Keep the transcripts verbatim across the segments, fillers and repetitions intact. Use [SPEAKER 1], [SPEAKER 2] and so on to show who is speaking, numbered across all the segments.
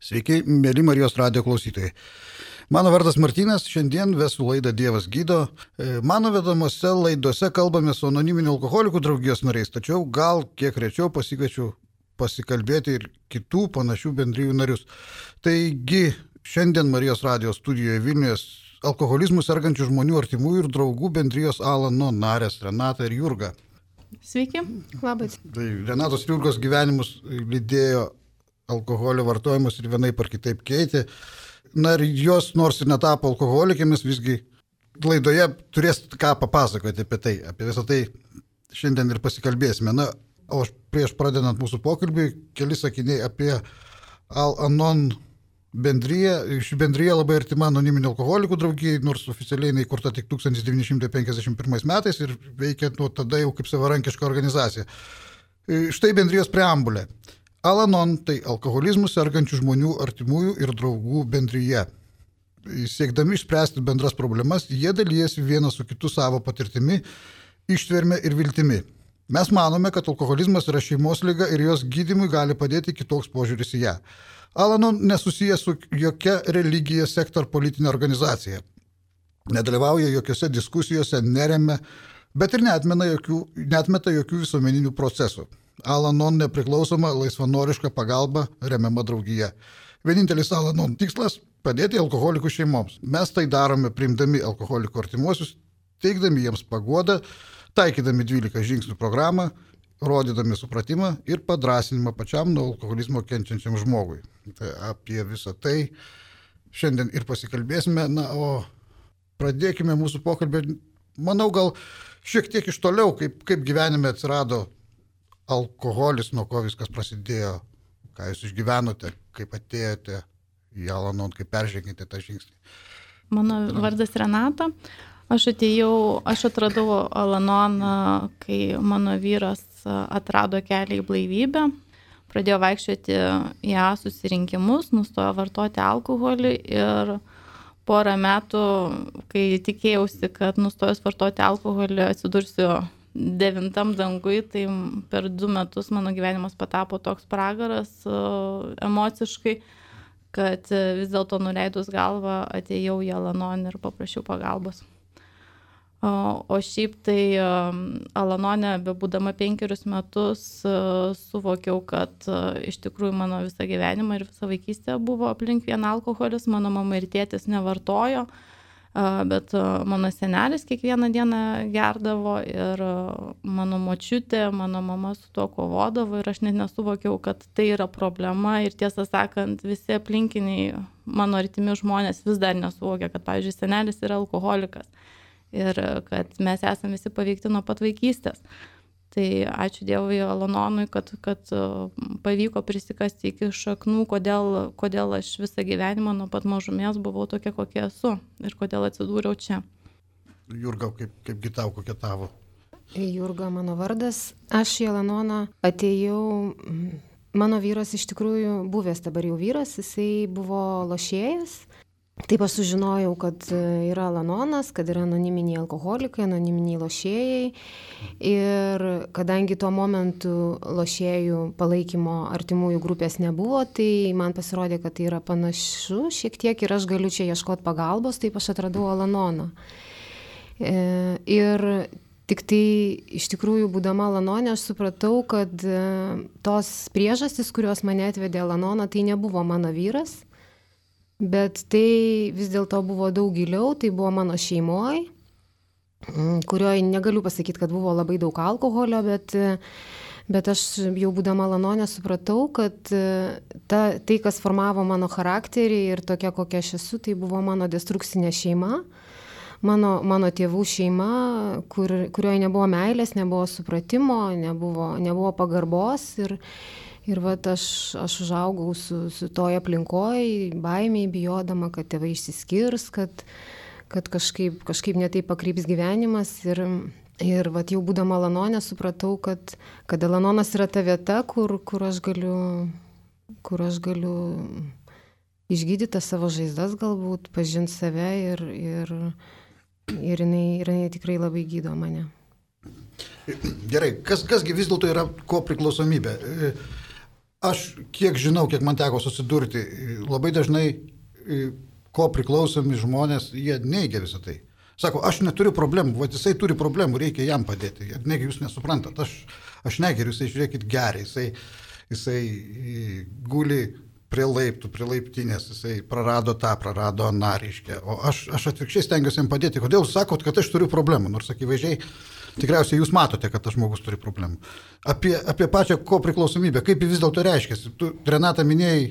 [SPEAKER 1] Sveiki, mėly Marijos radijo klausytojai. Mano vardas Martynas, šiandien vesiu laidą Dievas gydo. Mano vedamose laidose kalbame su anoniminių alkoholikų draugijos nariais, tačiau gal kiek rečiau pasikviečiu pasikalbėti ir kitų panašių bendrijų narius. Taigi, šiandien Marijos radijo studijoje Vilniuje alkoholizmų sergančių žmonių artimųjų ir draugų bendrijos Al-Anon narės Renata ir Jurga.
[SPEAKER 2] Sveiki, labas.
[SPEAKER 1] Tai Renatos ir Jurgos gyvenimus lydėjo alkoholio vartojimas ir vienaip ar kitaip keitė. Na ir jos nors ir netapo alkoholikėmis, visgi laidoje turės ką papasakoti apie tai. Apie visą tai šiandien ir pasikalbėsime. Na, o prieš pradedant mūsų pokalbį, keli sakiniai apie Al-Anon bendriją. Ši bendrija labai artima anoniminių alkoholikų draugijai, nors oficialiai jinai įkurta tik tūkstantis devyni šimtai penkiasdešimt pirmais metais ir veikia nuo tada jau kaip savarankiška organizacija. Štai bendrijos preambulė. Al-Anon tai alkoholizmų sergančių žmonių artimųjų ir draugų bendryje. Siekdami išspręsti bendras problemas, jie dalyjasi vienas su kitu savo patirtimi, ištverme ir viltimi. Mes manome, kad alkoholizmas yra šeimos liga ir jos gydymui gali padėti kitoks požiūris į ją. Al-Anon nesusijęs su jokia religija, sekta ar politinė organizacija. Nedalyvauja jokiose diskusijose, neremia, bet ir neatmeta jokių, neatmeta jokių visuomeninių procesų. Al-Anon nepriklausoma laisvanoriška pagalba remiama draugija. Vienintelis Al-Anon tikslas – padėti alkoholikų šeimoms. Mes tai darome priimdami alkoholikų artimuosius, teikdami jiems paguodą, taikydami dvylika žingsnių programą, rodydami supratimą ir padrąsinimą pačiam nuo alkoholizmo kenčiančiam žmogui. Tai apie visą tai šiandien ir pasikalbėsime. Na, o pradėkime mūsų pokalbį, manau, gal šiek tiek iš toliau, kaip, kaip gyvenime atsirado alkoholis, nuo ko viskas prasidėjo, ką jūs išgyvenote, kaip atėjote į Al-Anon, kaip peržengėte tą žingsnį.
[SPEAKER 2] Mano vardas Renata. Aš atėjau, aš atradau Al-Anon, kai mano vyras atrado kelią į blaivybę, pradėjo vaikščioti į A susirinkimus, nustojo vartoti alkoholį ir porą metų, kai tikėjausi, kad nustojus vartoti alkoholį atsidursiu devintam dangui, tai per du metus mano gyvenimas patapo toks pragaras emociškai, kad vis dėlto nuleidus galvą atėjau į Al-Anon ir paprašiau pagalbos. O šiaip tai Al-Anone, bebūdama penkerius metus, suvokiau, kad iš tikrųjų mano visą gyvenimą ir visą vaikystę buvo aplink vien alkoholis, mano mama ir tėtis nevartojo, bet mano senelis kiekvieną dieną gerdavo ir mano močiutė, mano mama su tuo kovodavo ir aš net nesuvokiau, kad tai yra problema ir tiesą sakant, visi aplinkiniai mano artimi žmonės vis dar nesuvokia, kad, pavyzdžiui, senelis yra alkoholikas ir kad mes esame visi paveikti nuo pat vaikystės. Tai ačiū Dievui Al-Anonui, kad, kad pavyko prisikasti iki šaknų, kodėl, kodėl aš visą gyvenimą nuo pat mažumės buvau tokia, kokia esu ir kodėl atsidūriau čia.
[SPEAKER 1] Jurga, kaip, kaip gitau, kokia tavo?
[SPEAKER 3] Jurga mano vardas. Aš į Al-Anoną atėjau, mano vyras iš tikrųjų buvęs dabar jau vyras, jisai buvo lošėjas. Taip aš sužinojau, kad yra Al-Anonas, kad yra anoniminiai alkoholikai, anoniminiai lošėjai ir kadangi tuo momentu lošėjų palaikymo artimųjų grupės nebuvo, tai man pasirodė, kad tai yra panašu šiek tiek ir aš galiu čia ieškoti pagalbos, taip aš atradau Al-Anoną. Ir tik tai iš tikrųjų būdama Al-Anone aš supratau, kad tos priežastys, kurios mane atvedė Al-Anoną, tai nebuvo mano vyras. Bet tai vis dėlto buvo daug giliau, tai buvo mano šeimoj, kurioje negaliu pasakyti, kad buvo labai daug alkoholio, bet, bet aš jau būdama Al-Anone supratau, kad ta, tai, kas formavo mano charakterį ir tokia, kokia aš esu, tai buvo mano destrukcinė šeima, mano, mano tėvų šeima, kur, kurioje nebuvo meilės, nebuvo supratimo, nebuvo, nebuvo pagarbos ir Ir vat aš, aš užaugau su, su toj aplinkoj, baimiai, bijodama, kad tėvai išsiskirs, kad, kad kažkaip, kažkaip netaip pakryps gyvenimas. Ir, ir vat jau būdama Al-Anone supratau, kad, kad Al-Anonas yra ta vieta, kur, kur, aš galiu, kur aš galiu išgydyti savo žaizdas galbūt, pažinti save ir, ir, ir, jinai, ir jinai tikrai labai gydo mane.
[SPEAKER 1] Gerai, kas, kasgi vis dėlto yra ko priklausomybė? aš kiek žinau, kiek man teko susidurti, labai dažnai ko priklausomi žmonės, jie neigia visą tai. Sako, aš neturiu problemų, va jisai turi problemų, reikia jam padėti. Negi jūs nesuprantat, aš, aš negeriu, jisai žiūrėkit gerai, jisai, jisai guli prie laiptų, prie laiptinės, jisai prarado tą, prarado aną, reiškia. O aš, aš atvirkščiai stengiuosi jam padėti. Kodėl jūs sakot, kad aš turiu problemų? Nors akivaizdžiai, tikriausiai jūs matote, kad tas žmogus turi problemų. Apie, apie pačią ko priklausomybę, kaip vis dėlto reiškiasi. Tu, Renata, minėjai,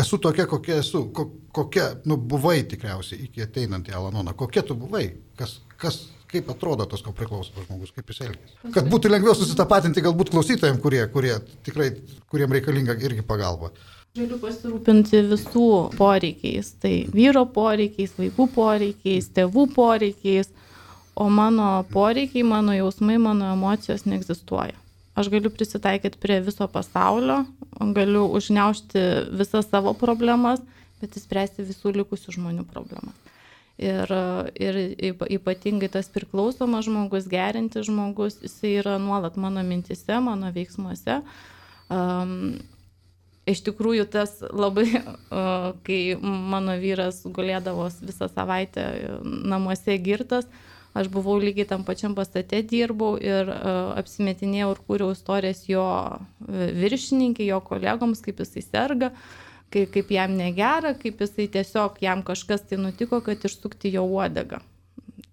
[SPEAKER 1] esu tokia, kokia esu, ko, kokia, nu, buvai tikriausiai iki ateinant į Al-Anoną. Kokia tu buvai? Kas, kas, kaip atrodo tas, ko priklauso žmogus, kaip jis elgiasi? Kad būtų lengviau susitapatinti galbūt klausytojams, kurie, kurie tikrai, kuriem reikalinga irgi pagalba.
[SPEAKER 2] Galiu pasirūpinti visų poreikiais. Tai vyro poreikiais, vaikų poreikiais, tėvų poreikiais, o mano poreikiai, mano jausmai, mano emocijos neegzistuoja. Aš galiu prisitaikyti prie viso pasaulio, galiu užgniaužti visas savo problemas, bet įspręsti visų likusių žmonių problemas. Ir, ir ypatingai tas priklausomas žmogus, gerintis žmogus, jisai yra nuolat mano mintise, mano veiksmuose. Um, iš tikrųjų tas labai, uh, kai mano vyras gulėdavo visą savaitę namuose girtas, aš buvau lygiai tam pačiam pastate dirbau ir uh, apsimetinėjau ir kūriau istorijas jo viršininkai, jo kolegoms, kaip jisai serga, kaip, kaip jam negera, kaip jisai tiesiog jam kažkas tai nutiko, kad išsukti jo uodegą.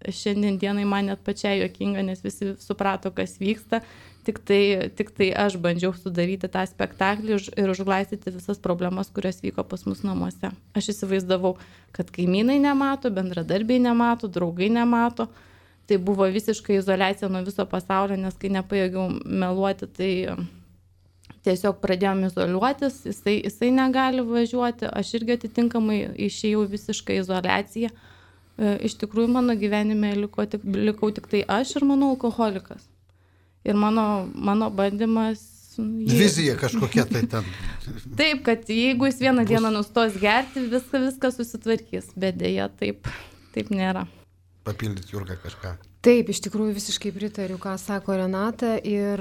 [SPEAKER 2] Šiandien dienai man net pačiai juokinga, nes visi suprato, kas vyksta, tik tai, tik tai aš bandžiau sudaryti tą spektaklį ir užglaistyti visas problemas, kurios vyko pas mus namuose. Aš įsivaizdavau, kad kaimynai nemato, bendradarbiai nemato, draugai nemato. Tai buvo visiškai izoliacija nuo viso pasaulio, nes kai nepajėgiau meluoti, tai tiesiog pradėjom izoliuotis, jisai, jisai negali važiuoti, aš irgi atitinkamai išėjau visišką izoliaciją. Iš tikrųjų, mano gyvenime liko tik, likau tik tai aš ir mano alkoholikas. Ir mano, mano bandymas...
[SPEAKER 1] Vizija kažkokia tai ten.
[SPEAKER 2] Taip, kad jeigu jis vieną bus... dieną nustos gerti, viską, viską susitvarkys, bet dėja taip, taip nėra.
[SPEAKER 1] Papildyti Jurgą kažką.
[SPEAKER 3] Taip, iš tikrųjų visiškai pritariu, ką sako Renata ir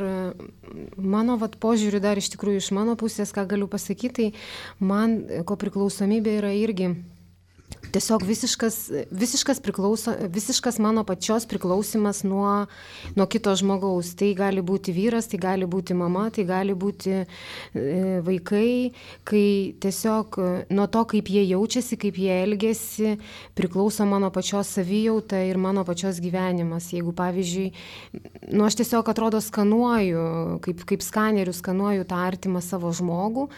[SPEAKER 3] mano vat, požiūriu dar iš tikrųjų iš mano pusės, ką galiu pasakyti, tai man ko priklausomybė yra irgi tiesiog visiškas, visiškas, priklauso, visiškas mano pačios priklausimas nuo, nuo kito žmogaus. Tai gali būti vyras, tai gali būti mama, tai gali būti e, vaikai, kai tiesiog nuo to, kaip jie jaučiasi, kaip jie elgiasi, priklauso mano pačios savijauta ir mano pačios gyvenimas. Jeigu, pavyzdžiui, nu, aš tiesiog atrodo skanuoju, kaip, kaip skaneriu skanuoju tą artimą savo žmogų,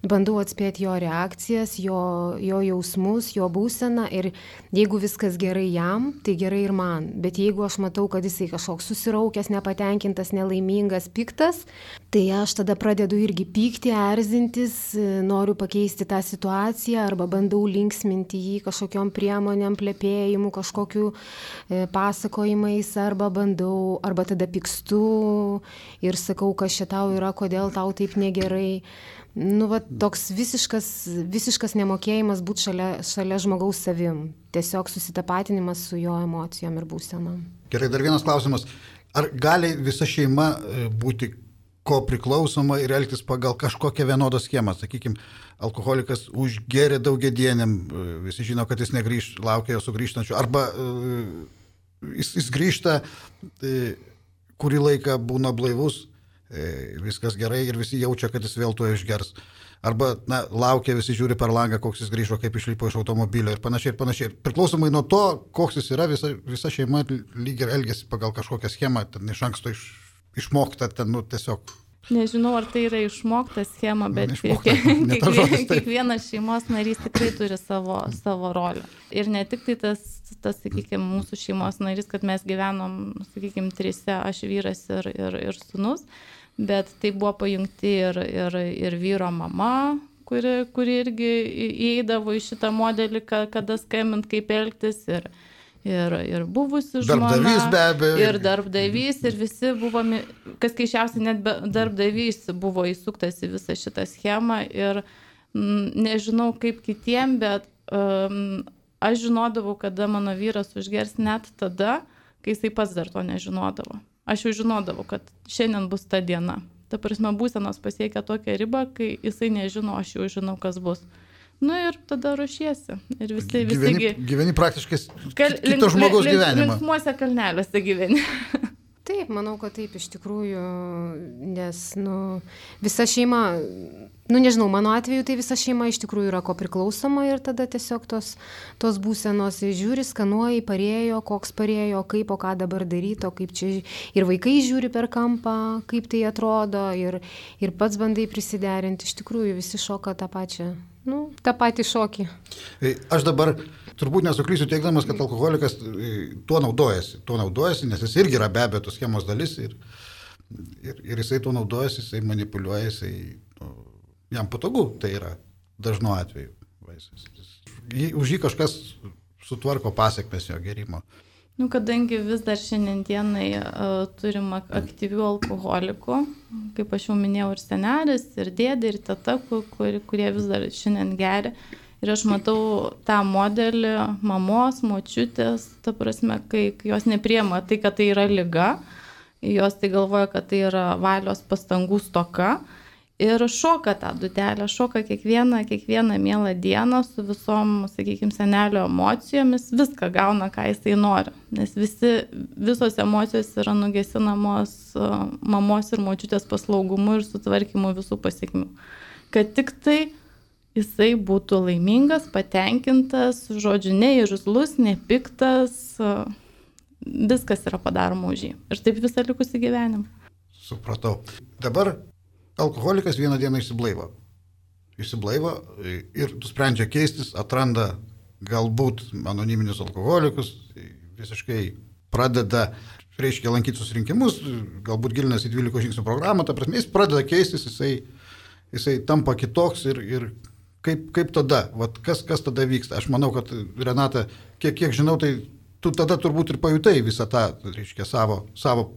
[SPEAKER 3] bandau atspėti jo reakcijas, jo, jo jausmus, jo būseną ir jeigu viskas gerai jam, tai gerai ir man. Bet jeigu aš matau, kad jisai kažkoks susiraukęs, nepatenkintas, nelaimingas, piktas, tai aš tada pradedu irgi pykti, erzintis, noriu pakeisti tą situaciją arba bandau linksminti jį kažkokiom priemonėm, plepėjimu, kažkokiu e, pasakojimais arba bandau, arba tada pykstu ir sakau, kas čia tau yra, kodėl tau taip negerai. Nu, va, toks visiškas, visiškas nemokėjimas būti šalia, šalia žmogaus savim. Tiesiog susitapatinimas su jo emocijom ir būsenom.
[SPEAKER 1] Gerai, dar vienas klausimas. Ar gali visa šeima būti ko priklausoma ir elgtis pagal kažkokią vienodą schemą? Sakykime, alkoholikas užgėrė daugiadieniam, visi žino, kad jis negrįž, laukia jo sugrįžtančių. Arba jis, jis grįžta, kurį laiką būna blaivus, viskas gerai ir visi jaučia, kad jis vėl to išgers. Arba, na, laukia, visi žiūri per langą, koks jis grįžo, kaip išlipo iš automobilio ir panašiai ir panašiai. Priklausomai nuo to, koks jis yra, visa, visa šeima lyg ir elgesi pagal kažkokią schemą, ten iš anksto iš, išmokta, ten, nu, tiesiog.
[SPEAKER 2] Nežinau, ar tai yra išmokta schema, bet
[SPEAKER 1] išmokta,
[SPEAKER 2] kiekvienas kiekviena šeimos narys tikrai turi savo, savo rolę. Ir ne tik tai tas, tas, sakykime, mūsų šeimos narys, kad mes gyvenom, sakykime, trise, aš vyras ir, ir, ir sūnus, bet tai buvo pajungti ir, ir, ir vyro mama, kuri, kuri irgi įeidavo į šitą modelį, kada skambint, kaip elgtis, ir, ir, ir buvusi žmona,
[SPEAKER 1] darbdavys be abejo,
[SPEAKER 2] ir darbdavys, ir visi buvo, kas keišiausiai, net darbdavys buvo įsuktas į visą šitą schemą ir m, nežinau kaip kitiem, bet um, aš žinodavau, kada mano vyras užgers net tada, kai jisai pats dar to nežinodavo. Aš jau žinodavau, kad šiandien bus ta diena. Ta prasme, būsenos pasiekia tokią ribą, kai jisai nežino, aš jau žinau, kas bus. Nu ir tada ruošiesi. Ir visi,
[SPEAKER 1] gyveni,
[SPEAKER 2] visi...
[SPEAKER 1] Gyveni praktiškai kal, kito žmogaus link, gyvenimą.
[SPEAKER 2] Linksmuose kalneliuose gyveni.
[SPEAKER 3] Taip, manau, kad taip iš tikrųjų, nes, nu, visa šeima, nu, nežinau, mano atveju tai visa šeima iš tikrųjų yra ko priklausoma ir tada tiesiog tos, tos būsenos žiūri, skanuoji, parėjo, koks parėjo, kaip, o ką dabar daryti, o kaip čia ir vaikai žiūri per kampą, kaip tai atrodo ir, ir pats bandai prisiderinti, iš tikrųjų visi šoka tą pačią. Nu, tą patį šokį.
[SPEAKER 1] Aš dabar turbūt nesuklysiu teikdamas, kad alkoholikas tuo naudojasi. Tuo naudojasi, nes jis irgi yra be abejo tos schemos dalis ir, ir, ir jisai tuo naudojasi, jisai manipuliuoja, jisai, nu, jam patogu, tai yra dažnu atveju. Už jį kažkas sutvarko pasiekmes jo gerimo.
[SPEAKER 2] Nu, kadangi vis dar šiandienai uh, turim aktyvių alkoholikų, kaip aš jau minėjau, ir senelis, ir dėdė, ir teta, kur, kurie vis dar šiandien geria. Ir aš matau tą modelį mamos, močiutės, ta prasme, kai jos nepriema tai, kad tai yra liga, jos tai galvoja, kad tai yra valios pastangų stoka. Ir šoka tą dutelę, šoka kiekvieną, kiekvieną mielą dieną su visom, sakykime, senelio emocijomis, viską gauna, ką jisai nori. Nes visi, visos emocijos yra nugesinamos mamos ir močiutės paslaugumu ir sutvarkymu visų pasiekmių. Kad tik tai jisai būtų laimingas, patenkintas, žodžiu, neirzlus, nepiktas, viskas yra padaroma už jį. Ir taip visą likusį gyvenimą.
[SPEAKER 1] Supratau. Dabar alkoholikas vieną dieną išsiblaivo. Išsiblaivo ir sprendžia keistis, atranda galbūt anoniminius alkoholikus, visiškai pradeda, reiškia, lankyti susirinkimus, galbūt gilinasi į dvylikos žingsnių programą, ta prasme, jis pradeda keistis, jisai, jisai tampa kitoks ir, ir kaip, kaip tada, vat, kas, kas tada vyksta. Aš manau, kad Renata, kiek, kiek žinau, tai tu tada turbūt ir pajutai visą tą, reiškia, savo, savo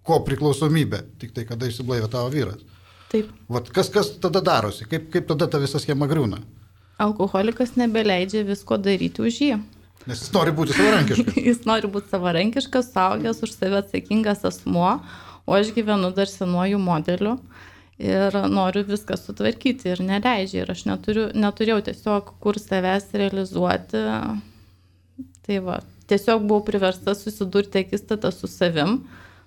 [SPEAKER 1] ko priklausomybę, tik tai kada išsiblaivė tavo vyras.
[SPEAKER 2] Taip.
[SPEAKER 1] Vat kas, kas tada darosi? Kaip, kaip tada ta visa schema griūna?
[SPEAKER 2] Alkoholikas nebeleidžia visko daryti už jį.
[SPEAKER 1] Nes jis nori būti savarankiškas.
[SPEAKER 2] Jis nori būti savarankiškas, saugęs, už save atsakingas asmuo, o aš gyvenu dar senuoju modeliu ir noriu viską sutvarkyti ir neleidžia. Ir aš neturiu, neturėjau tiesiog kur savęs realizuoti. Tai va, tiesiog buvau priversta susidurti akistatą su savim,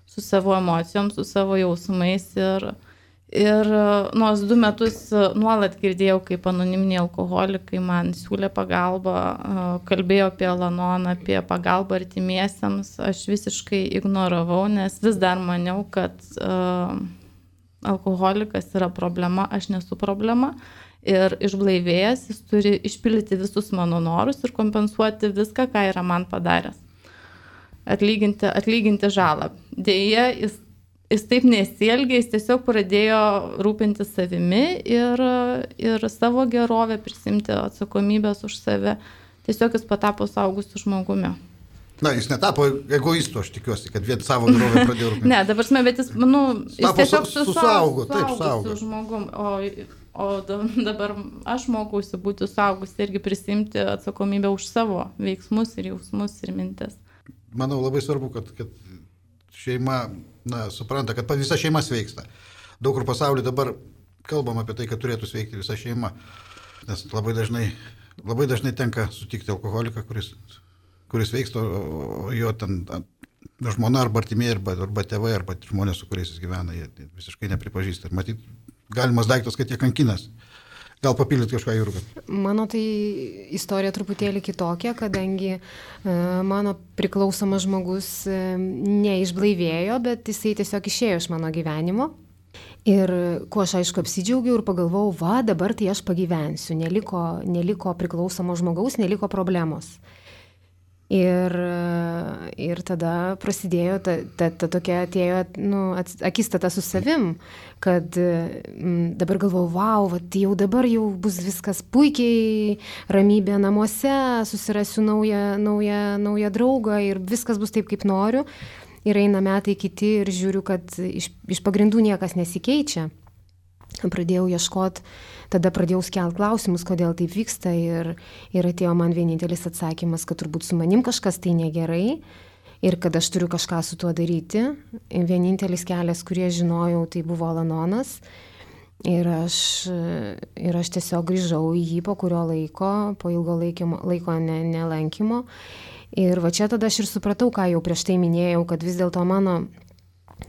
[SPEAKER 2] su savo emocijom, su savo jausmais ir Ir nors du metus nuolat girdėjau, kaip anoniminiai alkoholikai man siūlė pagalbą, kalbėjo apie Al-Anoną, apie pagalbą artimiesiems, aš visiškai ignoravau, nes vis dar maniau, kad uh, alkoholikas yra problema, aš nesu problema. Ir išblaivėjęs, jis turi išpildyti visus mano norus ir kompensuoti viską, ką yra man padaręs. Atlyginti, atlyginti žalą. Deja, jis Jis taip nesielgė, jis tiesiog pradėjo rūpintis savimi ir, ir savo gerovę, prisimti atsakomybės už save. Tiesiog jis patapo saugusiu žmogumi.
[SPEAKER 1] Na, jis netapo egoistu, aš tikiuosi, kad vien savo gerovę pradėjo rūpintis.
[SPEAKER 2] Ne, dabar smė, bet jis, nu, jis tiesiog su,
[SPEAKER 1] susaugo,
[SPEAKER 2] su,
[SPEAKER 1] taip, saugo.
[SPEAKER 2] Žmogum, o, o dabar aš mokausi būti saugus irgi prisimti atsakomybę už savo veiksmus ir jausmus ir mintis.
[SPEAKER 1] Manau, labai svarbu, kad, kad šeima, na, supranta, kad visa šeima sveiksta. Daug kur pasaulyje dabar kalbam apie tai, kad turėtų sveikti visa šeima, nes labai dažnai, labai dažnai tenka sutikti alkoholiką, kuris, kuris sveiksta, o jo ten žmona arba artimieji, arba, arba tėvai, arba žmonės, su kuriais jis gyvena, jie visiškai nepripažįsta. Ir matyt, galimas daiktas, kad jie kankinas. Gal papildyti kažką, Jurga?
[SPEAKER 3] Mano tai istorija truputėlį kitokia, kadangi e, mano priklausomas žmogus e, neišblaivėjo, bet jisai tiesiog išėjo iš mano gyvenimo. Ir kuo aš aišku apsidžiaugiau ir pagalvojau, va, dabar tai aš pagyvensiu, neliko, neliko priklausomo žmogaus, neliko problemos. Ir, ir tada prasidėjo, ta, ta, ta tokia atėjo, nu, akistata su savim, kad m, dabar galvojau, wow, va, jau dabar jau bus viskas puikiai, ramybė namuose, susirasiu naują, naują, naują draugą ir viskas bus taip, kaip noriu. Ir eina metai kiti ir žiūriu, kad iš, iš pagrindų niekas nesikeičia. Pradėjau ieškoti, tada pradėjau skelt klausimus, kodėl taip vyksta ir, ir atėjo man vienintelis atsakymas, kad turbūt su manim kažkas tai negerai ir kad aš turiu kažką su tuo daryti. Vienintelis kelias, kurį žinojau, tai buvo Alanonas. Ir aš, ir aš tiesiog grįžau į jį po kurio laiko, po ilgo laikimo, laiko ne, nelankymo. Ir va čia tada aš ir supratau, ką jau prieš tai minėjau, kad vis dėlto mano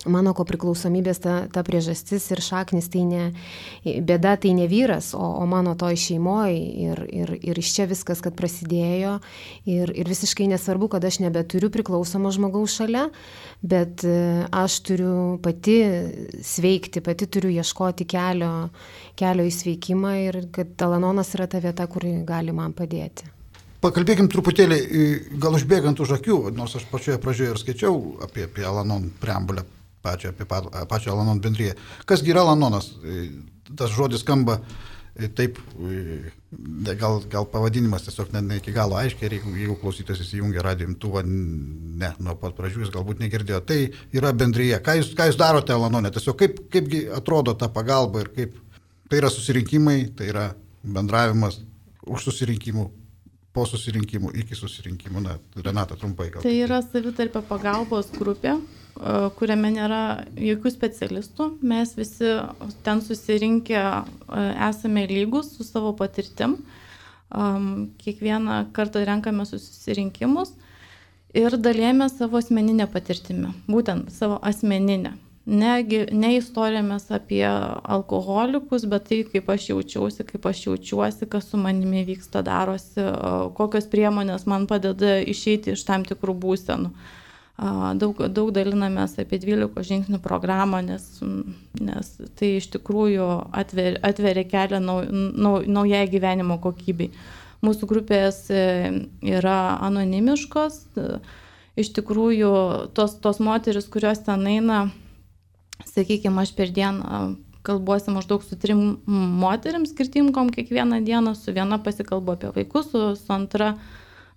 [SPEAKER 3] Mano kopriklausomybės ta, ta priežastis ir šaknis tai ne, bėda tai ne vyras, o, o mano toj šeimoje ir, ir, ir iš čia viskas, kad prasidėjo ir, ir visiškai nesvarbu, kad aš nebeturiu priklausomo žmogaus šalia, bet aš turiu pati sveikti, pati turiu ieškoti kelio, kelio į sveikimą ir kad Alanonas yra ta vieta, kur gali man padėti.
[SPEAKER 1] Pakalbėkim truputėlį, gal užbėgant už akių, nors aš pačioje pradžioje ir skaičiau apie, apie Alanon preambulę, pačią, apie pačią Alanon bendriją. Kasgi yra Alanonas? Tas žodis skamba taip, gal, gal pavadinimas tiesiog ne, ne iki galo aiškiai, jeigu, jeigu klausytojas įsijungia radijo imtuvą, ne, nuo pat pradžių jis galbūt negirdėjo. Tai yra bendrija. Ką jūs, ką jūs darote Alanone? Tiesiog kaip, kaipgi atrodo ta pagalba ir kaip tai yra susirinkimai, tai yra bendravimas už susirinkimų, po susirinkimų, iki susirinkimų. Na, Renata, trumpai gal.
[SPEAKER 2] Tai yra savitarpio pagalbos grupė, kuriame nėra jokių specialistų. Mes visi ten susirinkę esame lygus su savo patirtim. Kiekvieną kartą renkame susirinkimus ir dalijame savo asmeninę patirtimį. Būtent savo asmeninę. Ne, ne istorijomis apie alkoholikus, bet tai, kaip aš jaučiausi, kaip aš jaučiuosi, kas su manimi vyksta, darosi, kokios priemonės man padeda išeiti iš tam tikrų būsenų. Daug, daug dalinamės apie dvylikos žingsnių programą, nes, nes tai iš tikrųjų atver, atveria kelią nau, nau, naujai gyvenimo kokybei. Mūsų grupės yra anonimiškos. Iš tikrųjų, tos, tos moteris, kurios ten eina, sakykime, aš per dieną kalbuosi maždaug su trim moterim skirtingom kiekvieną dieną, su viena pasikalbu apie vaikus, su, su antra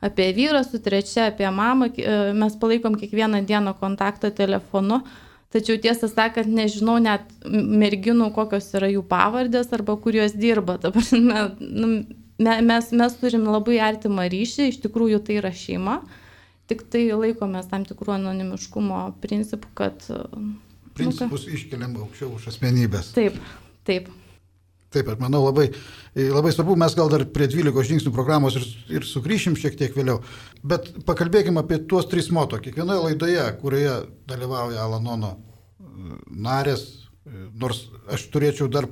[SPEAKER 2] apie vyrą, su trečia apie mamą. Mes palaikom kiekvieną dieną kontaktą telefonu, tačiau tiesą sakant, nežinau net merginų, kokios yra jų pavardės arba kur jos dirba. Dabar mes, mes turim labai artimą ryšį, iš tikrųjų tai yra šeima, tik tai laikomės tam tikrų anonimiškumo principų, kad
[SPEAKER 1] Principus nu, iškeliam aukščiau už asmenybės.
[SPEAKER 2] Taip, taip.
[SPEAKER 1] Taip, aš manau, labai, labai svarbu, mes gal dar prie dvylikos žingsnių programos ir, ir sugrįšim šiek tiek vėliau, bet pakalbėkime apie tuos tris moto. Kiekvienoje laidoje, kurioje dalyvauja Alanono narės, nors aš turėčiau dar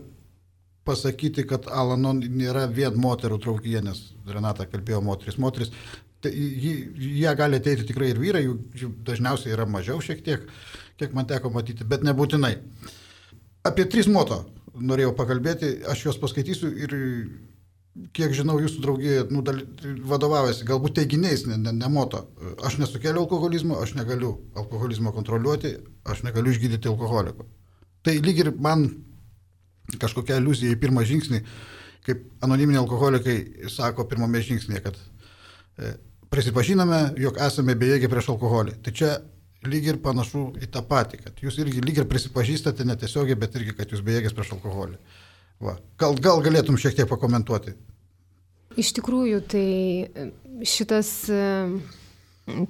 [SPEAKER 1] pasakyti, kad Alanon nėra vien moterų draugija, nes Renata kalbėjo moteris, moteris, tai jie gali ateiti tikrai ir vyrai, jų dažniausiai yra mažiau šiek tiek, kiek man teko matyti, bet nebūtinai. Apie tris moto norėjau pakalbėti, aš juos paskaitysiu ir kiek žinau, jūsų draugija nu, vadovaujasi galbūt teiginiais, ne, ne, ne moto. Aš nesukeliu alkoholizmo, aš negaliu alkoholizmo kontroliuoti, aš negaliu išgydyti alkoholiko. Tai lyg ir man kažkokia aliuzija į pirmą žingsnį, kaip anoniminiai alkoholikai sako pirmame žingsnėje, kad e, prisipažiname, jog esame bejėgiai prieš alkoholį. Tai čia lyg ir panašu į tą patį, kad jūs irgi lyg ir prisipažįstate netiesiogiai, bet irgi, kad jūs bejėgės prieš alkoholį. Va. Gal, gal galėtum šiek tiek pakomentuoti?
[SPEAKER 3] Iš tikrųjų, tai šitas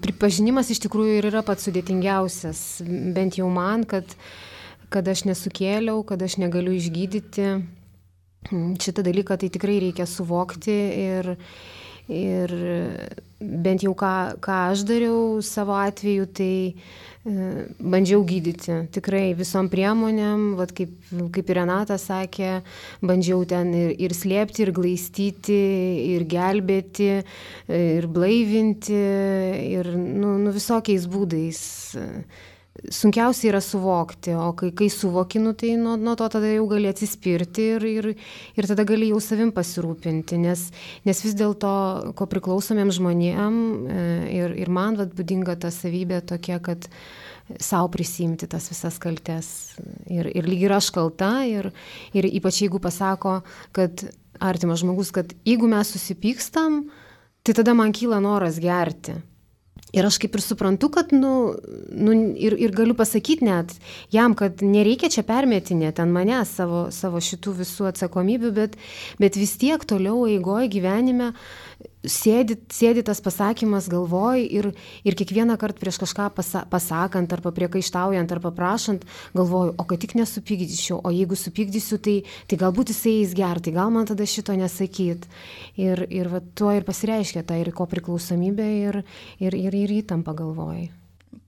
[SPEAKER 3] pripažinimas iš tikrųjų ir yra pats sudėtingiausias, bent jau man, kad, kad aš nesukėliau, kad aš negaliu išgydyti. Šitą dalyką tai tikrai reikia suvokti ir Ir bent jau ką, ką aš dariau savo atveju, tai e, bandžiau gydyti. Tikrai visom priemonėm, vat kaip, kaip ir Renata sakė, bandžiau ten ir, ir slėpti, ir glaistyti, ir gelbėti, ir blaivinti, ir nu, nu, visokiais būdais. Sunkiausia yra suvokti, o kai, kai suvokinu, tai nuo, nuo to tada jau gali atsispirti ir, ir, ir tada gali jau savim pasirūpinti, nes, nes vis dėlto, ko priklausomiem žmonėm ir, ir man vat, būdinga ta savybė tokia, kad savo prisimti tas visas kaltes ir, ir lyg ir aš kalta ir, ir ypač jeigu pasako, kad artimas žmogus, kad jeigu mes susipykstam, tai tada man kyla noras gerti. Ir aš kaip ir suprantu, kad, nu, nu ir, ir galiu pasakyti net jam, kad nereikia čia permetinėti ant manęs savo, savo šitų visų atsakomybių, bet, bet vis tiek toliau eigoje gyvenime sėdi, sėdi tas pasakymas galvoj ir, ir kiekvieną kartą prieš kažką pasa, pasakant arba priekaištaujant arba prašant, galvoju, o kad tik nesupykdyčiau, o jeigu supykdysiu, tai, tai galbūt jisai eis gerti, gal man tada šito nesakyt. Ir, ir va, tuo ir pasireiškia ta ir ko priklausomybė ir, ir, ir, ir įtampa galvoj.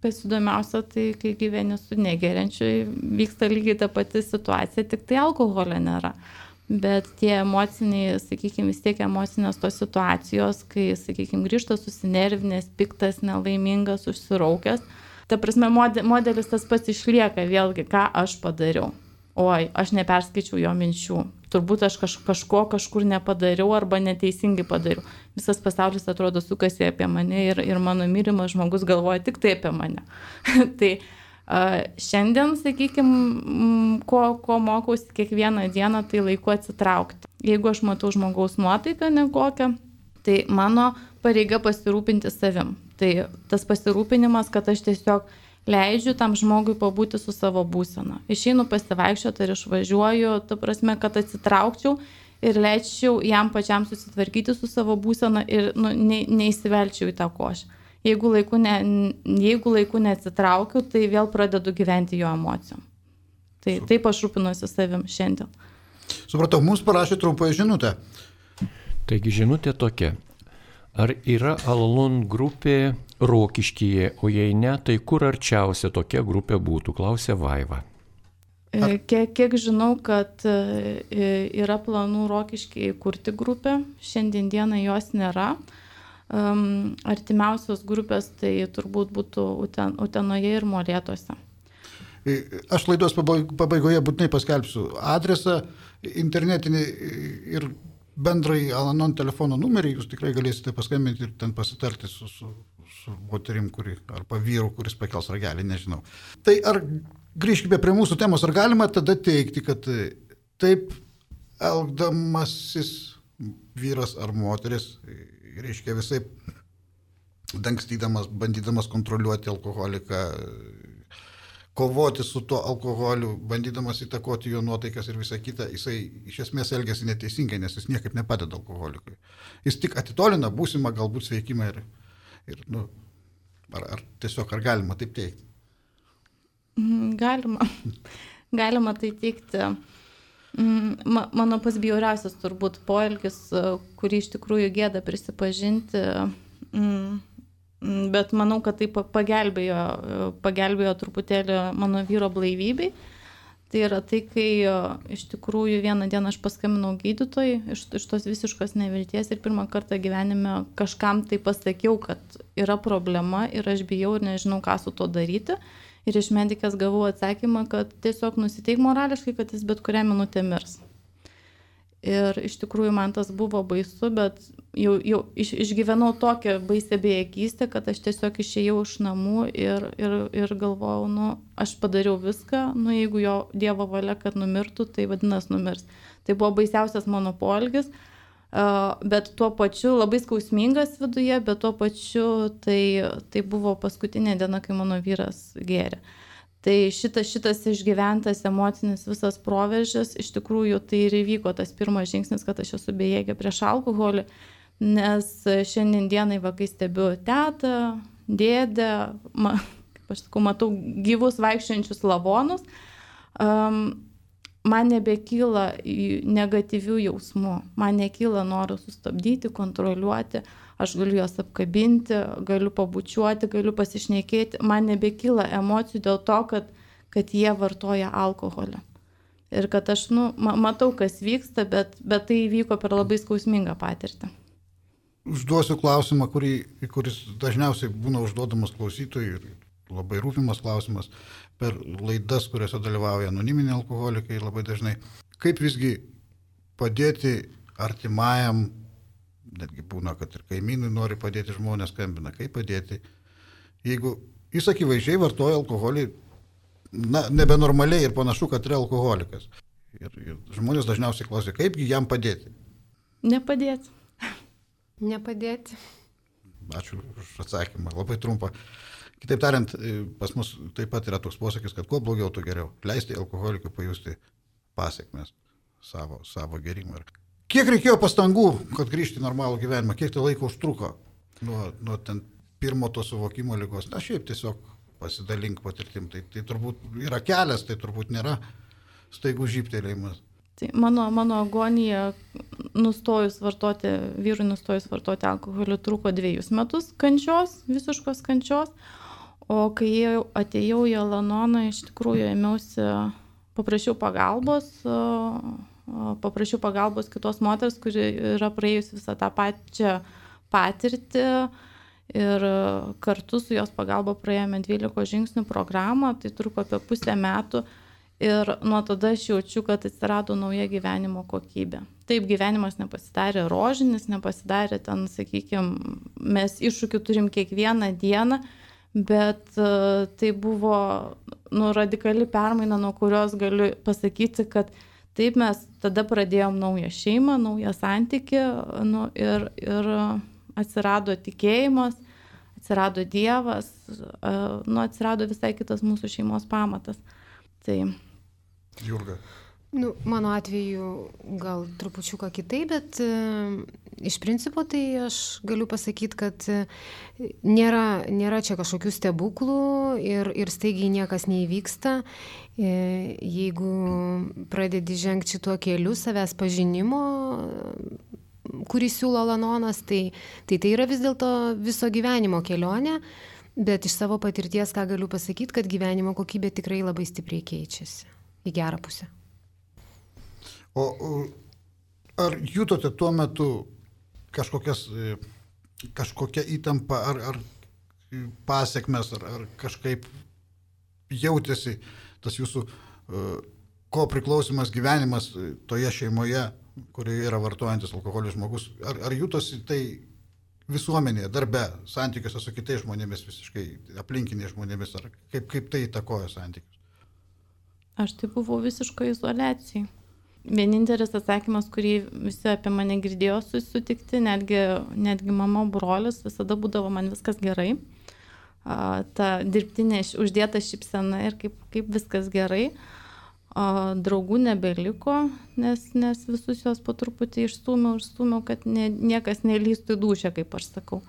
[SPEAKER 2] Kas įdomiausia, tai kai gyveni su negeriančiu, vyksta lygiai ta pati situacija, tik tai alkoholio nėra. Bet tie emociniai, sakykime, vis tiek emocinės tos situacijos, kai, sakykime, grįžta susinervinęs, piktas, nelaimingas, užsiraukęs, ta prasme, modelis tas pats išlieka vėlgi, ką aš padariau. Oi, aš neperskaičiau jo minčių. Turbūt aš kaž, kažko kažkur nepadariau arba neteisingai padariau. Visas pasaulis atrodo sukasi apie mane ir, ir mano mylimas žmogus galvoja tik tai apie mane. Tai šiandien, sakykime, ko, ko mokausi kiekvieną dieną, tai laiku atsitraukti. Jeigu aš matau žmogaus nuotaiką nekokią, tai mano pareiga pasirūpinti savim. Tai tas pasirūpinimas, kad aš tiesiog leidžiu tam žmogui pabūti su savo būsena. Išeinu pasivaikščioti ir išvažiuoju, ta prasme, kad atsitraukčiau ir leidžiau jam pačiam susitvarkyti su savo būsena ir nu, ne, neįsivelčiau į tą košę. Jeigu laiku, ne, jeigu laiku neatsitraukiu, tai vėl pradedu gyventi jo emocijom. Tai taip aš rūpinuosi savim šiandien.
[SPEAKER 1] Supratau, mums parašė trumpą žinutę.
[SPEAKER 4] Taigi žinutė tokia. Ar yra Al-Anon grupė Rokiškyje, o jei ne, tai kur arčiausia tokia grupė būtų, klausė Vaiva.
[SPEAKER 2] Ar... Kiek, kiek žinau, kad yra planų Rokiškyje kurti grupę, šiandien dieną jos nėra. Um, artimiausios grupės tai turbūt būtų Uten, Utenoje ir Molėtuose.
[SPEAKER 1] Aš laidos pabaigoje būtinai paskelbsiu adresą internetinį ir bendrai Al-Anon telefono numerį, jūs tikrai galėsite paskambinti ir ten pasitarti su, su, su moterim, kuri, arba vyru, kuris pakels ragelį, nežinau. Tai ar grįžkime prie mūsų temos, ar galima tada teikti, kad taip elgdamasis vyras ar moteris, reiškia visai dangstydamas, bandydamas kontroliuoti alkoholiką, kovoti su tuo alkoholiu, bandydamas įtakoti jo nuotaikas ir visą kitą, jisai iš esmės elgiasi neteisingai, nes jis niekaip nepadeda alkoholikui. Jis tik atitolina būsimą galbūt sveikimą ir, ir nu, ar, ar tiesiog ar galima taip teikti?
[SPEAKER 2] Galima. Galima tai teikti. Mano pats bjauriausias turbūt poelgis, kurį iš tikrųjų gėda prisipažinti, bet manau, kad tai pagelbėjo, pagelbėjo truputėlį mano vyro blaivybei. Tai yra tai, kai iš tikrųjų vieną dieną aš paskambinau gydytojai iš, iš tos visiškos nevilties ir pirmą kartą gyvenime kažkam tai pasakiau, kad yra problema ir aš bijau ir nežinau, ką su to daryti. Ir iš medikės gavau atsakymą, kad tiesiog nusiteik morališkai, kad jis bet kurią minutę mirs. Ir iš tikrųjų man tas buvo baisu, bet jau, jau iš, išgyvenau tokią baisę bejėgystę, kad aš tiesiog išėjau iš namų ir, ir, ir galvojau, nu, aš padariau viską, nu, jeigu jo Dievo valia, kad numirtų, tai vadinasi numirs. Tai buvo baisiausias mano poelgis, bet tuo pačiu labai skausmingas viduje, bet tuo pačiu tai, tai buvo paskutinė diena, kai mano vyras gėrė. Tai šitas, šitas išgyventas emocinis visas proveržis, iš tikrųjų tai ir įvyko tas pirmas žingsnis, kad aš esu bejėgė prieš alkoholį, nes šiandien dienai va, kai stebiu tetą, dėdę, ma, kaip aš sakau, matau gyvus vaikščiančius lavonus, um, man nebekyla negatyvių jausmų, man nekyla noro sustabdyti, kontroliuoti, aš galiu juos apkabinti, galiu pabučiuoti, galiu pasišnekėti, man nebekyla emocijų dėl to, kad, kad jie vartoja alkoholį. Ir kad aš nu, matau, kas vyksta, bet, bet tai įvyko per labai skausmingą patirtį.
[SPEAKER 1] Užduosiu klausimą, kurį, kuris dažniausiai būna užduodamas klausytojui ir labai rūpimas klausimas per laidas, kuriuose dalyvauja anoniminiai alkoholikai labai dažnai. Kaip visgi padėti artimajam, netgi būna, kad ir kaimynui nori padėti, žmonės skambina, kaip padėti, jeigu jis akivaizdžiai vartoja alkoholį, na, nebenormaliai ir panašu, kad yra alkoholikas. Ir, ir žmonės dažniausiai klausia, kaipgi jam padėti?
[SPEAKER 2] Nepadėti.
[SPEAKER 3] Nepadėti.
[SPEAKER 1] Ačiū už atsakymą, labai trumpą. Kitaip tariant, pas mus taip pat yra toks posakis, kad kuo blogiau, tuo geriau. Leisti alkoholikui pajusti pasiekmes savo, savo gerimo. Ir Kiek reikėjo pastangų, kad grįžti į normalų gyvenimą? Kiek tai laiko užtruko nuo, nuo ten pirmo to suvokimo ligos? Na, šiaip tiesiog pasidalink patirtim. Tai, tai turbūt yra kelias, tai turbūt nėra staigų žyptelėjimas.
[SPEAKER 2] Tai mano, mano agonija nustojus vartoti, vyrui nustojus vartoti alkoholį truko dviejus metus kančios, visiškos kančios. O kai atėjau į Al-Anoną, iš tikrųjų ėmiausi, paprašiau pagalbos, paprašiau pagalbos kitos moters, kuri yra praėjus visą tą pačią patirtį ir kartu su jos pagalba praėjome dvylikos žingsnių programą, tai truko apie pusę metų ir nuo tada aš jaučiu, kad atsirado nauja gyvenimo kokybė. Taip, gyvenimas nepasidarė rožinis, nepasidarė ten, sakykime, mes iššūkių turim kiekvieną dieną, bet tai buvo nu, radikali permaina, nuo kurios galiu pasakyti, kad taip mes tada pradėjom naują šeimą, naują santykį nu, ir, ir atsirado tikėjimas, atsirado Dievas, nu, atsirado visai kitas mūsų šeimos pamatas. Tai...
[SPEAKER 1] Jurga.
[SPEAKER 3] Nu, mano atveju gal trupučiuką kitaip, bet e, iš principo tai aš galiu pasakyti, kad e, nėra, nėra čia kažkokių stebuklų ir, ir staigiai niekas neįvyksta. E, jeigu pradedi žengti šituo keliu savęs pažinimo, kurį siūlo Al-Anonas, tai, tai tai yra vis dėlto viso gyvenimo kelionė, bet iš savo patirties ką galiu pasakyti, kad gyvenimo kokybė tikrai labai stipriai keičiasi į gerą pusę.
[SPEAKER 1] O ar jutote tuo metu kažkokias, kažkokią įtampą, ar, ar pasiekmes, ar, ar kažkaip jautėsi tas jūsų ko priklausimas gyvenimas toje šeimoje, kurioje yra vartojantis alkoholį žmogus, ar, ar jutosi tai visuomenėje, darbe, santykiuose su kitais žmonėmis, visiškai aplinkiniais žmonėmis, ar kaip, kaip tai įtakojo santykius?
[SPEAKER 2] Aš tai buvau visiškai izoliacijai. Vienintelis atsakymas, kurį visi apie mane girdėjo susitikti, netgi, netgi mama, brolis, visada būdavo man viskas gerai. A, ta dirbtinė uždėta šypsena ir kaip, kaip viskas gerai. A, draugų nebeliko, nes, nes visus jos po truputį išstūmiau, išstūmiau, kad ne, niekas nelystų į dūšią, kaip aš sakau.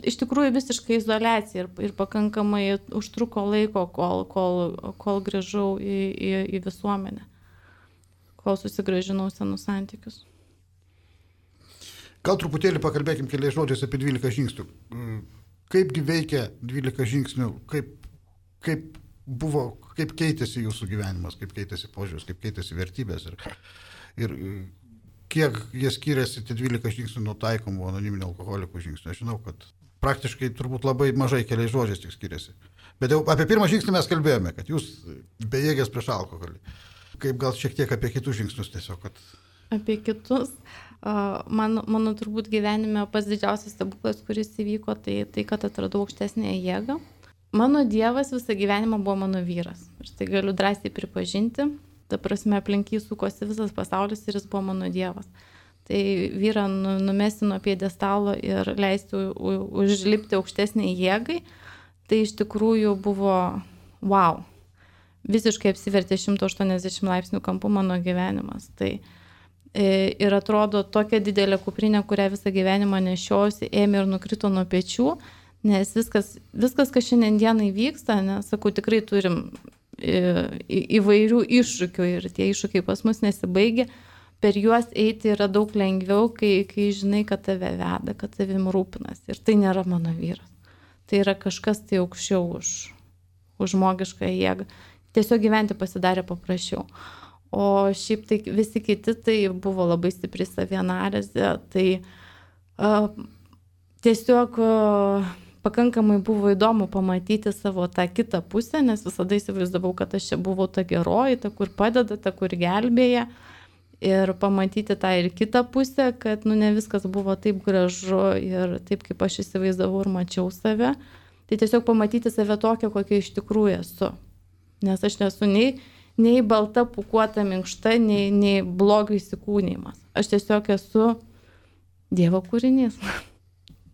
[SPEAKER 2] Iš tikrųjų visiškai izoliacija ir, ir pakankamai užtruko laiko, kol, kol, kol grįžau į, į, į visuomenę. Kol susigrąžinau senus santykius.
[SPEAKER 1] Gal truputėlį pakalbėkim keliais žodžiais apie dvylika žingsnių. Kaipgi veikia dvylika žingsnių, kaip, kaip buvo, kaip keitėsi jūsų gyvenimas, kaip keitėsi požiūris, kaip keitėsi vertybės ir, ir kiek jie skiriasi tie dvylika žingsnių nuo taikomų anoniminių alkoholikų žingsnių. Aš žinau, kad praktiškai turbūt labai mažai keliais žodžiais tik skiriasi. Bet jau apie pirmą žingsnį mes kalbėjome, kad jūs bejėgės prieš alkoholį. Kaip gal šiek tiek apie kitus žingsnius tiesiog, kad...
[SPEAKER 2] Apie kitus. Mano, mano turbūt gyvenime pats didžiausias stebuklas, kuris įvyko, tai, tai kad atradau aukštesnę jėgą. Mano Dievas visą gyvenimą buvo mano vyras. Ir tai galiu drąsiai pripažinti. Ta prasme, aplink jį sukosi visas pasaulis ir jis buvo mano Dievas. Tai vyrą numesti nuo pjedestalo ir leisti užlipti aukštesnį jėgai, tai iš tikrųjų buvo wow. Visiškai apsivertė šimto aštuoniasdešimt laipsnių kampų mano gyvenimas. Tai e, ir atrodo tokia didelė kuprinė, kurią visą gyvenimą nešiausi, ėmė ir nukrito nuo pečių, nes viskas, viskas kas šiandien dienai vyksta, nes, sakau, tikrai turim e, įvairių iššūkių ir tie iššūkiai pas mus nesibaigia, per juos eiti yra daug lengviau, kai, kai žinai, kad tave veda, kad tavim rūpinas. Ir tai nėra mano vyras. Tai yra kažkas tai aukščiau už, už žmogišką jėgą. Tiesiog gyventi pasidarė paprasčiau. O šiaip tai visi kiti tai buvo labai stipri savianalizė. Tai uh, tiesiog uh, pakankamai buvo įdomu pamatyti savo tą kitą pusę, nes visada įsivaizdavau, kad aš čia buvau ta geroji, ta, kur padeda, ta, kur gelbėja. Ir pamatyti tą ir kitą pusę, kad nu, ne viskas buvo taip gražu ir taip, kaip aš įsivaizdavau ir mačiau save. Tai tiesiog pamatyti save tokią, kokia iš tikrųjų esu. Nes aš nesu nei, nei balta, pūkuota, minkšta, nei, nei blogio įsikūnymas. Aš tiesiog esu Dievo kūrinys.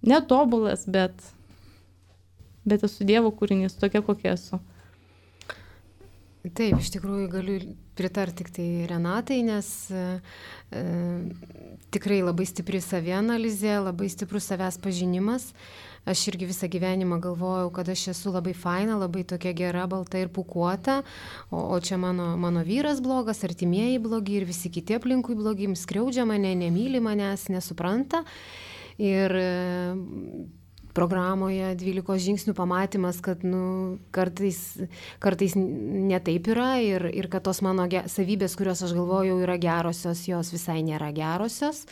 [SPEAKER 2] Netobulas, bet, bet esu Dievo kūrinys, tokia kokia esu.
[SPEAKER 3] Taip, iš tikrųjų galiu pritarti tik tai Renatai, nes e, tikrai labai stipri savianalizė, labai stiprus savęs pažinimas. Aš irgi visą gyvenimą galvojau, kad aš esu labai faina, labai tokia gera, balta ir pūkuota, o, o čia mano, mano vyras blogas, artimieji blogi ir visi kiti aplinkui blogi, skriaudžia mane, nemyli manęs, nesupranta. Ir programoje dvylikos žingsnių pamatymas, kad nu, kartais, kartais netaip yra ir, ir kad tos mano ge- savybės, kurios aš galvojau yra gerosios, jos visai nėra gerosios.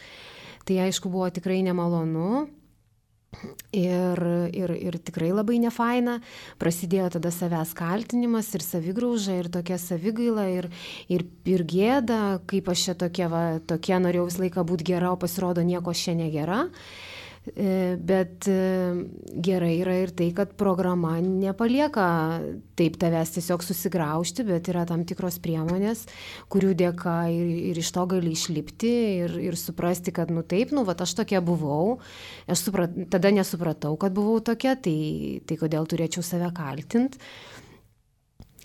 [SPEAKER 3] Tai aišku buvo tikrai nemalonu. Ir, ir, ir tikrai labai nefaina. Prasidėjo tada savęs kaltinimas ir savigrauža ir tokia savigaila ir, ir, ir gėda, kaip aš čia tokia, va, tokia norėjau visą laiką būti gera, o pasirodo nieko aš čia negera. Bet gerai yra ir tai, kad programa nepalieka taip tavęs tiesiog susigraužti, bet yra tam tikros priemonės, kurių dėka ir, ir iš to gali išlipti ir, ir suprasti, kad nu taip, nu vat aš tokia buvau, aš suprat, tada nesupratau, kad buvau tokia, tai, tai kodėl turėčiau save kaltinti.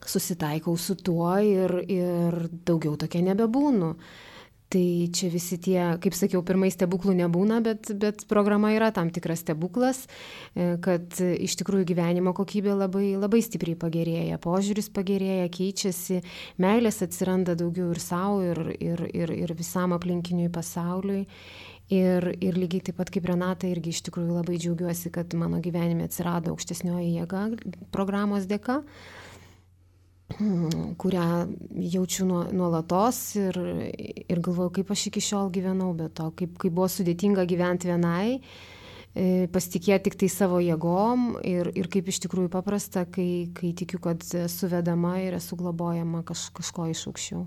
[SPEAKER 3] Susitaikau su tuo ir, ir daugiau tokia nebebūnu. Tai čia visi tie, kaip sakiau, pirmai stebuklų nebūna, bet, bet programa yra tam tikras stebuklas, kad iš tikrųjų gyvenimo kokybė labai, labai stipriai pagerėja, požiūris pagerėja, keičiasi, meilės atsiranda daugiau ir savo, ir, ir, ir, ir visam aplinkiniui pasauliui. Ir, ir lygiai taip pat kaip Renata irgi iš tikrųjų labai džiaugiuosi, kad mano gyvenime atsirado aukštesnioji jėga programos dėka, kurią jaučiu nuolatos ir, ir galvoju, kaip aš iki šiol gyvenau, bet to, kaip, kaip buvo sudėtinga gyventi vienai, pasitikėti tik tai savo jėgom ir, ir kaip iš tikrųjų paprasta, kai, kai tikiu, kad esu vedama ir esu globojama kaž, kažko iš aukščiau.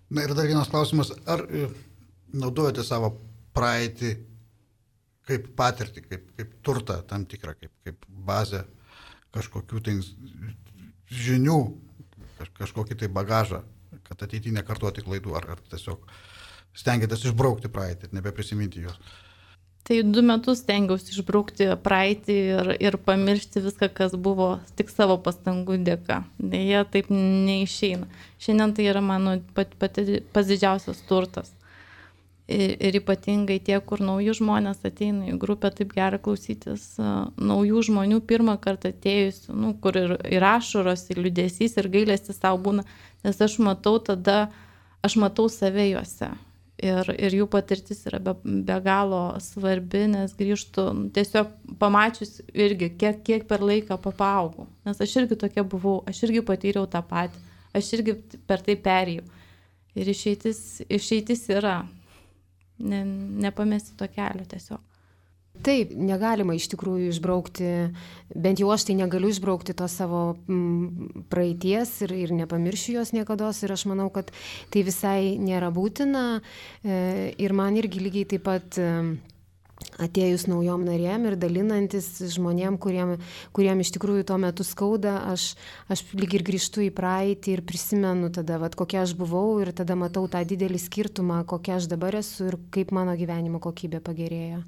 [SPEAKER 1] Na ir dar vienas klausimas, ar naudojate savo praeitį kaip patirtį, kaip, kaip turtą tam tikrą, kaip, kaip bazę kažkokių tai žinių, kažkokį tai bagažą, kad ateityje nekartoti klaidų, ar, ar tiesiog stengiatės išbraukti praeitį ir nebeprisiminti jos?
[SPEAKER 2] Tai du metus stengiausi išbraukti praeitį ir, ir pamiršti viską, kas buvo tik savo pastangų dėka. Deja, taip neišeina. Šiandien tai yra mano pat, pati pats didžiausias turtas. Ir, ir ypatingai tie, kur nauji žmonės ateina į grupę, taip gera klausytis uh, naujų žmonių pirmą kartą atėjusių, nu, kur ir, ir ašaros, ir liūdesys, ir gailestis savo būna, nes aš matau tada, aš matau save juose. Ir, ir jų patirtis yra be, be galo svarbi, nes grįžtu tiesiog pamačius irgi, kiek, kiek per laiką papaaugau. Nes aš irgi tokia buvau, aš irgi patyriau tą patį, aš irgi per tai perėjau. Ir išeitis, išeitis yra. Ne, nepamesti to kelio tiesiog.
[SPEAKER 3] Taip, negalima iš tikrųjų išbraukti, bent jau aš tai negaliu išbraukti to savo m, praeities ir, ir nepamiršiu jos niekados ir aš manau, kad tai visai nėra būtina e, ir man irgi lygiai taip pat e, atėjus naujom narėm ir dalinantis žmonėm, kuriem, kuriem iš tikrųjų tuo metu skauda, aš, aš lyg ir grįžtu į praeitį ir prisimenu tada, vat, kokia aš buvau ir tada matau tą didelį skirtumą, kokia aš dabar esu ir kaip mano gyvenimo kokybė pagerėjo.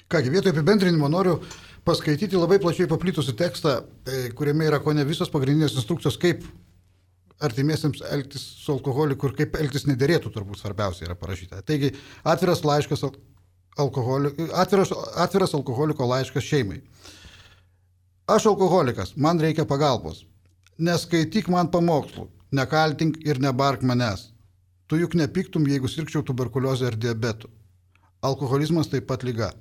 [SPEAKER 1] Kągi, vietoj apibendrinimo noriu paskaityti labai plačiai paplitusių tekstą, kuriame yra kone visos pagrindinės instrukcijos, kaip artimiesiems elgtis su alkoholiku ir kaip elgtis nederėtų, turbūt svarbiausia yra parašyta. Taigi, atviras laiškas Alkoholi... Atviras, atviras alkoholiko laiškas šeimai. Aš alkoholikas, man reikia pagalbos. Neskaityk man pamokslų, nekaltink ir nebark manęs. Tu juk nepiktum, jeigu sirgčiau tuberkuliozę ar diabetu. Alkoholizmas taip pat liga.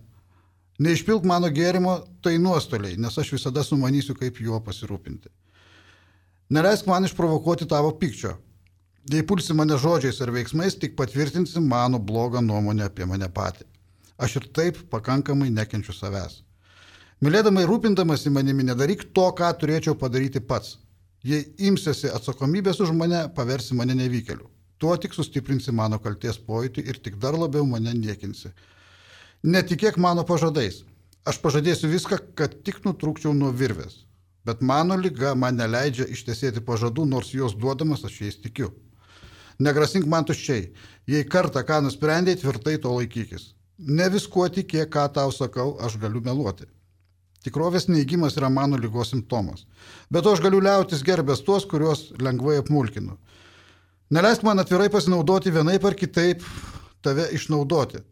[SPEAKER 1] Neišpilk mano gėrimo, tai nuostoliai, nes aš visada sumanysiu, kaip juo pasirūpinti. Neleisk man išprovokuoti tavo pykčio. Jei pulsi mane žodžiais ar veiksmais, tik patvirtinsi mano blogą nuomonę apie mane patį. Aš ir taip pakankamai nekenčiu savęs. Mylėdamai rūpindamasi manimi nedaryk to, ką turėčiau padaryti pats. Jei imsiesi atsakomybės už mane, paversi mane nevykėliu. Tuo tik sustiprinsi mano kalties pojūtį ir tik dar labiau mane niekinsi. Netikėk mano pažadais. Aš pažadėsiu viską, kad tik nutrūkčiau nuo virvės. Bet mano liga man neleidžia ištesėti pažadų, nors juos duodamas aš jais tikiu. Negrasink man tuščiai. Jei kartą ką nusprendėjai, tvirtai to laikykis. Ne viskuo tikėk, ką tau sakau, aš galiu meluoti. Tikrovės neįgymas yra mano lygos simptomas. Bet aš galiu liautis gerbęs tuos, kuriuos lengvai apmulkinu. Neleisk man atvirai pasinaudoti vienaip ar kitaip tave išnaudoti.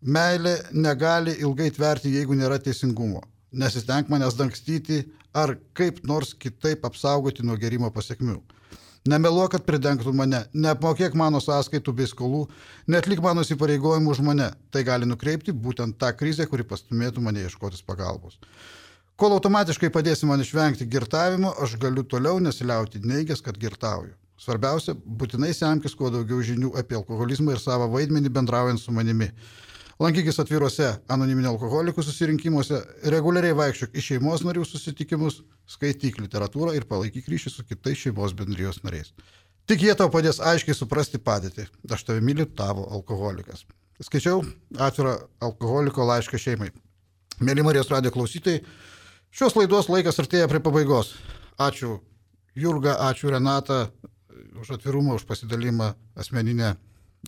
[SPEAKER 1] Meilė negali ilgai tverti, jeigu nėra teisingumo. Nesistenk manęs dangstyti ar kaip nors kitaip apsaugoti nuo gerimo pasiekmių. Nemeluok, kad pridengtų mane, neapmokėk mano sąskaitų bei skolų, neatlik mano įsipareigojimų už mane. Tai gali nukreipti būtent tą krizę, kuri pastumėtų mane ieškotis pagalbos. Kol automatiškai padėsi man išvengti girtavimo, aš galiu toliau nesiliauti neigęs, kad girtauju. Svarbiausia, būtinai semkis kuo daugiau žinių apie alkoholizmą ir savo vaidmenį bendraujant su manimi. Lankykis atviruose anoniminių alkoholikų susirinkimuose, reguliariai vaikščiok į šeimos narių susitikimus, skaityk literatūrą ir palaikyk ryšį su kitais šeimos bendrijos nariais. Tik jie tau padės aiškiai suprasti padėtį. Aš tave myliu, tavo alkoholikas. Skaičiau atvirą alkoholiko laišką šeimai. Mėly Marijos radijo klausytojai, šios laidos laikas artėja prie pabaigos. Ačiū Jurga, ačiū Renata už atvirumą, už pasidalimą asmeninę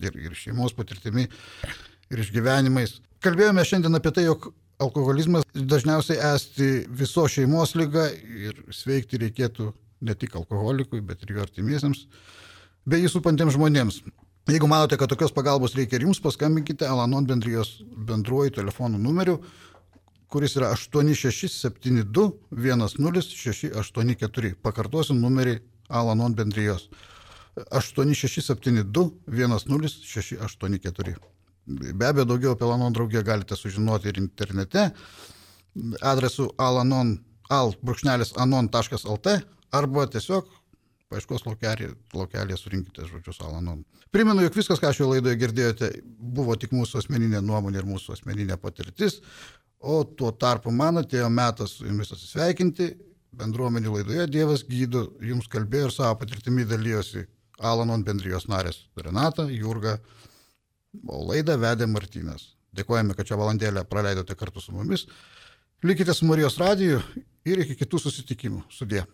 [SPEAKER 1] ir, ir šeimos patirtimi ir išgyvenimais. Kalbėjome šiandien apie tai, jog alkoholizmas dažniausiai esti viso šeimos lyga ir sveikti reikėtų ne tik alkoholikui, bet ir jo artimiesiems, bei jį supantiems žmonėms. Jeigu manote, kad tokios pagalbos reikia ir jums, paskambinkite Al-Anon bendrijos bendruoju telefonų numeriu, kuris yra aštuoni šeši septyni du vienas nulis šeši aštuoni keturi. Pakartosiu numerį Al-Anon bendrijos aštuoni šeši septyni du vienas nulis šeši aštuoni keturi. Be abejo, daugiau apie Al-Anon draugiją galite sužinoti ir internete adresu alanon taškas lt arba tiesiog paieškos laukelėje surinkite žodžius Al-Anon. Primenu, jog viskas, ką šioje laidoje girdėjote, buvo tik mūsų asmeninė nuomonė ir mūsų asmeninė patirtis, o tuo tarpu man atėjo metas su jumis atsisveikinti. Bendruomenių laidoje Dievas gydo, jums kalbėjo ir savo patirtimi dalyjosi Al-Anon bendrijos narės Renata, Jurga, o laidą vedė Martynas. Dėkojame, kad šią valandėlę praleidote kartu su mumis. Likite su Marijos radiju ir iki kitų susitikimų. Sudie.